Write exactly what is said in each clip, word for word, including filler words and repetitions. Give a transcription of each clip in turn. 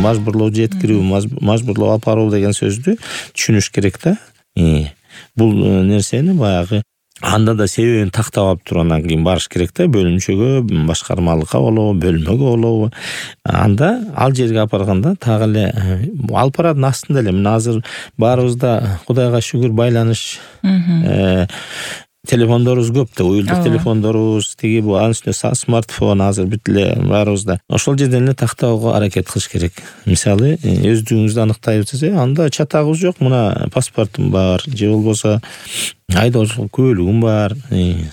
мажбурлоо жеткирүү, мажбурлоо алып баруу деген сөздү түшүнүш керек да. Бул нерсени баягы анда да себебин тактап алып туруп андан кийин барыш керек да, бөлүмчөгө, башкармалыкка болобу, бөлмөгө болобу. Анда ал жерге алып барганда так эле алып барардын астында эле мына азыр баарыбызда Кудайга шүгүр байланыш телефондорубуз көп да, уюлдук телефондорубуз, тиги бул анын үстүнө смартфон азыр бүт эле баарыбызда. Ошол жерден эле тактоого аракет кылыш керек. Мисалы, өздүгүңүздү аныктайбыз, анда чатагыбыз жок, мына паспортум бар, же болбосо айдоочулук күбөлүгүм бар,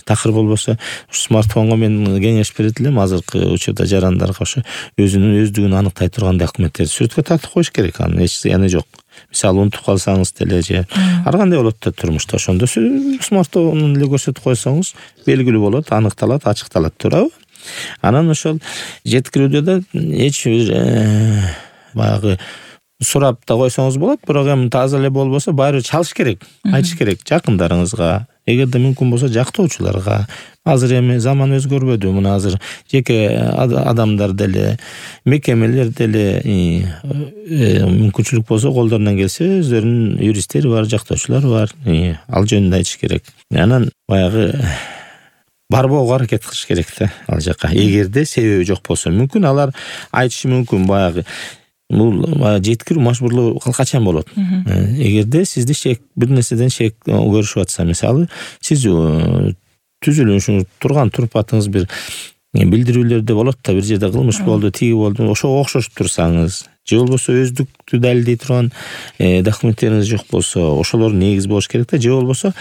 такыр болбосо смартфонго мен кеңеш берет элем азыркы учурда жарандарга ошо өзүнүн өздүгүн аныктай турган документтерди сүрөткө тартып коюш керек, анын эч зыяны жок. Мисалы, унутуп калсаңыз деле же ар кандай болот да турмушта, ошондо смартфонун эле көрсөтүп койсоңуз белгилүү болот, аныкталат, ачыкталат, туурабы? Анан ошол жеткирүүдө да эч бир баягы сурап да койсоңуз болот, бирок эми таза эле болбосо баары чалыш керек, айтыш керек жакындарыңызга, эгерде мүмкүн болсо жактоочуларга. Азыр эми заман өзгөрбөдү, мына азыр жеке адамдар деле, мекемелер деле мүмкүнчүлүк болсо колдорунан келсе өздөрүнүн юристтери бар, жактоочулары бар. Ал жөнүндө айтыш керек. Анан баягы барбоого аракет кылыш керек да ал жака. Эгерде себеби жок болсо, мүмкүн алар айтышы мүмкүн баягы бул жеткирүү мажбурлоо качан болот? Эгерде сизди шек бир нерседен шек көрүшүп атса, мисалы, сиз түзүлүшүңүз турган турпатыңыз бир билдирүүлөрдө болот да, бир жерде кылмыш болду, тиги болду, ошого окшошуп турсаңыз, же болбосо өздүктү далилдей турган документтериңиз жок болсо, ошолор негиз болуш керек да, же болбосо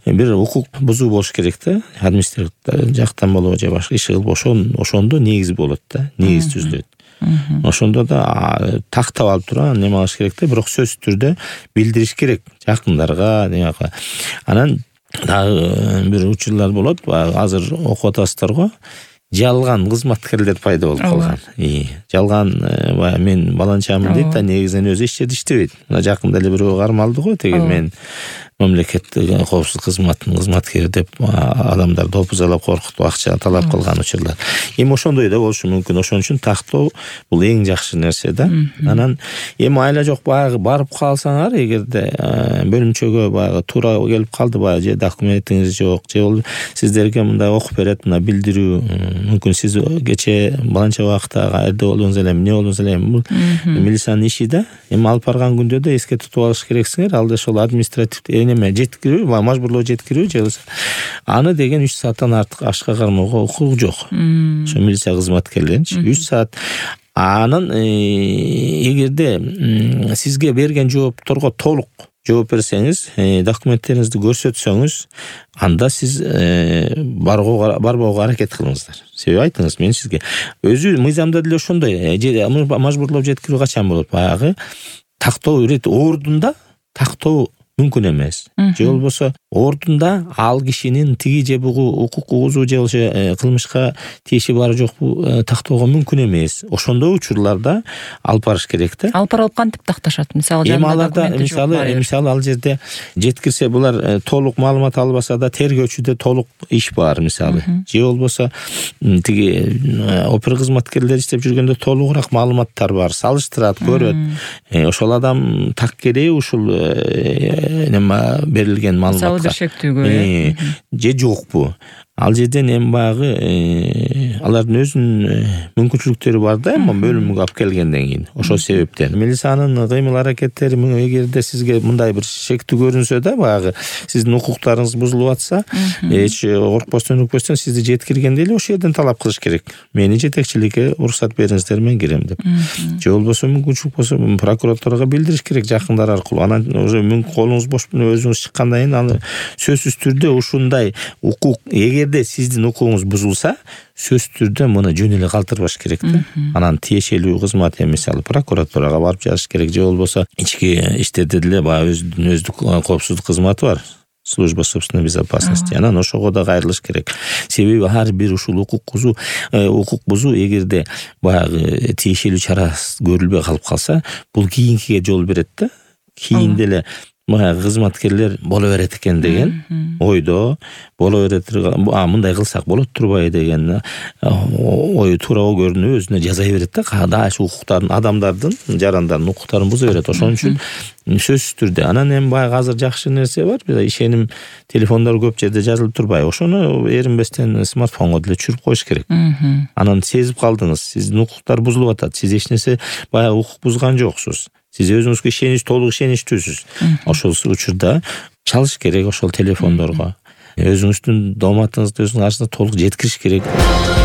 бир укук бузуу болуш керек да, административ жактан болобу же башка иш кылып, ошондо негиз болот да, негиз түзүлөт. Ошондо да тактап алып туруп неме кылыш керек да, бирок сөзсүз түрдө билдириш керек жакындарга, демек. Анан дагы бир учурлар болот, азыр окуп атасыздар го, жалган кызматкерлер пайда болуп калган. Жалган мен баланчамын дейт да, негизинен өзү эч жерде иштебейт. Мына жакында эле бирөө кармалды го, теги мен мамлекеттик коопсуздук кызматынын кызматкери деп адамдар допузалап, коркутуп, акча талап кылган учурлар. Эми ошондой да болушу мүмкүн. Ошон үчүн тактоо бул эң жакшы нерсе да. Анан эми айла жок баягы барып калсаңар, эгерде бөлүмчөгө баягы туура келип калды, баягы же документиңиз жок, же бол сиздерге мындай окуп берет, мына билдирүү, мүмкүн сиз кече баланча убакытта каерде болдуңуз эле, эмне болдуңуз эле, бул милициянын иши да. Эми алып барган күндө да эске тутуп алыш керексиңер, ал да ошол административ неме жеткирүү, мажбурлоо жеткирүү же аны деген үч сааттан артык ашка кармоого укугу жок. Ошо милиция кызматкерлеринчи үч саат. Анын эгерде сизге берген жоопторго толук жооп берсеңиз, документтериңизди көрсөтсөңүз, анда сиз барбоого аракет кылыңыздар. Себеби айтыңыз, мен сизге өзү мыйзамда деле ошондой, мажбурлоо жеткирүү качан болот? Баягы тактоо ирет ордунда тактоо мүмкүн эмес. Же болбосо ордунда ал кишинин тиги же бугу укук угузу же болбосо кылмышка тиеши бары жокпу тактоого мүмкүн эмес. Ошондой учурларда алып барыш керек да. Алып барып кантип такташат? Мисалы, жанында мисалы, мисалы ал жерде жеткирсе, булар толук маалымат албаса да тергөөчүдө толук иш бар, мисалы. Же болбосо тиги опер кызматкерлер иштеп жүргөндө толугураак маалыматтар бар, салыштырат, көрөт. Ошол адам так керек ушул неме берилген маалыматка же жокпу. Ал жерден эми баягы алардын өзүнүн мүмкүнчүлүктөрү бар да, эми бөлүмгө алып келгенден кийин. Ошол себептен милициянын кыймыл аракеттери, эгерде сизге мындай бир шектүү көрүнсө да, баягы сиздин укуктарыңыз бузулуп атса, эч коркпостон өкпөстөн сизди жеткиргенде эле ошол жерден талап кылыш керек. Мени жетекчиликке уруксат бериңиздер, мен кирем деп. Же болбосо мүмкүнчүлүк болсо прокуратурага билдириш керек жакындар аркылуу. Анан уже мүмкүн колуңуз бош өзүңүз чыккандан кийин аны сөзсүз түрдө ушундай укук, эгер сиздин укугуңуз бузулса, сөз түрдө муну жөн эле калтырбаш керек да. Анан тиешелүү кызмат, мисалы, прокуратурага барып жазыш керек, же болбосо ички иштерде деле баягы өзүнүн өздүк коопсуздук кызматы бар, служба собственной безопасности. Анан ошого да кайрылыш керек. Себеби ар бир ушул укук бузуу, укук бузуу эгерде баягы тиешелүү чара көрүлбөй калып калса, бул кийинкиге жол берет да. Кийин деле баягы кызматкерлер боло берет экен деген ойдо, боло берет, а мындай кылсак болот турбайбы деген ою туурабы көрүнүп өзүнө жазай берет да, каада ушу укуктардын, адамдардын, жарандардын укуктарын буза берет. Ошон үчүн сөзсүз түрдө анан эми баягы азыр жакшы нерсе бар, ишеним телефондор көп жерде жазылып турбайбы, ошону эринбестен смартфонго деле түшүрүп коюш керек. Анан сезип калдыңыз, сиздин укуктар бузулуп атат, сиз эч нерсе баягы укук бузган жоксуз, сиз өзүңүзгө ишенич, толук ишеничтүүсүз. Ошол учурда чалыш керек ошол телефондорго. Өзүңүздүн дооматыңызды өзүңүздүн каршыңызда толук жеткириш керек.